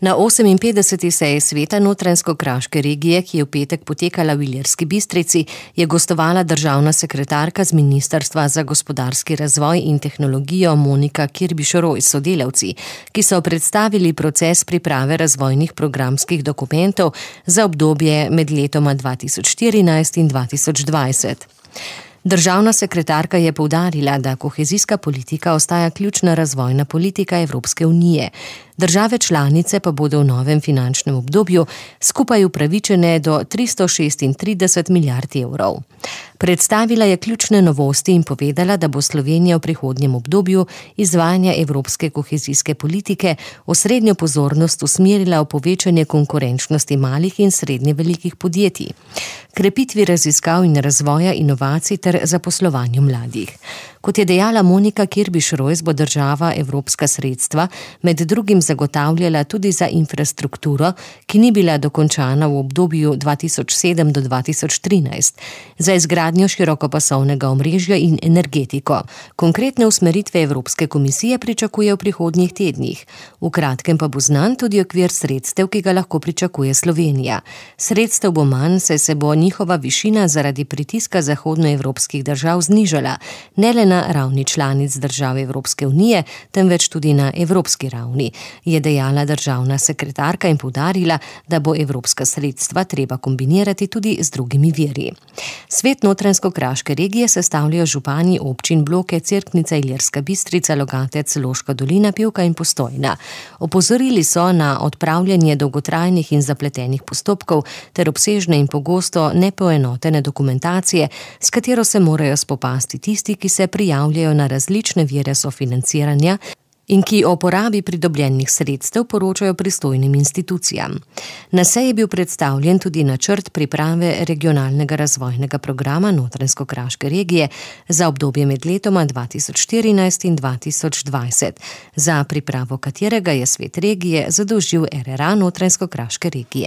Na 58. seji sveta Notranjsko-kraške regije, ki je v petek potekala v Ilirski Bistrici, je gostovala državna sekretarka z Ministrstva za gospodarski razvoj in tehnologijo Monika Kirbiš-Roj s sodelavci, ki so predstavili proces priprave razvojnih programskih dokumentov za obdobje med letoma 2014 in 2020. Državna sekretarka je poudarila, da kohezijska politika ostaja ključna razvojna politika Evropske unije. Države članice pa bodo v novem finančnem obdobju skupaj upravičene do 336 milijard evrov. Predstavila je ključne novosti in povedala, da bo Slovenija v prihodnjem obdobju izvajanja evropske kohezijske politike osrednjo pozornost usmerila v povečanje konkurenčnosti malih in srednje velikih podjetij, krepitvi raziskav in razvoja inovacij ter zaposlovanju mladih. Kot je dejala Monika Kirbiš-Roj, bo država evropska sredstva med drugim zagotavljala tudi za infrastrukturo, ki ni bila dokončana v obdobju 2007 do 2013, za izgradnjo širokopasovnega omrežja in energetiko. Konkretne usmeritve Evropske komisije pričakuje v prihodnjih tednih. V kratkem pa bo znan tudi okvir sredstev, ki ga lahko pričakuje Slovenija. Sredstev bo manj, saj se bo njihova višina zaradi pritiska zahodnoevropskih držav znižala, ne le na ravni članic držav Evropske unije, temveč tudi na evropski ravni, je dejala državna sekretarka in poudarila, da bo evropska sredstva treba kombinirati tudi z drugimi viri. Svet Notranjsko-kraške regije sestavljajo župani občin Bloke, Cerknica, Ilirska Bistrica, Logatec, Loška dolina, Pivka in Postojna. Opozorili so na odpravljanje dolgotrajnih in zapletenih postopkov ter obsežne in pogosto nepoenotene dokumentacije, s katero se morajo spopasti tisti, ki se prijavljajo na različne vire sofinanciranja in ki o porabi pridobljenih sredstev poročajo pristojnim institucijam. Na seji je bil predstavljen tudi načrt priprave regionalnega razvojnega programa Notranjsko-kraške regije za obdobje med letoma 2014 in 2020, za pripravo katerega je svet regije zadolžil RRA Notranjsko-kraške regije.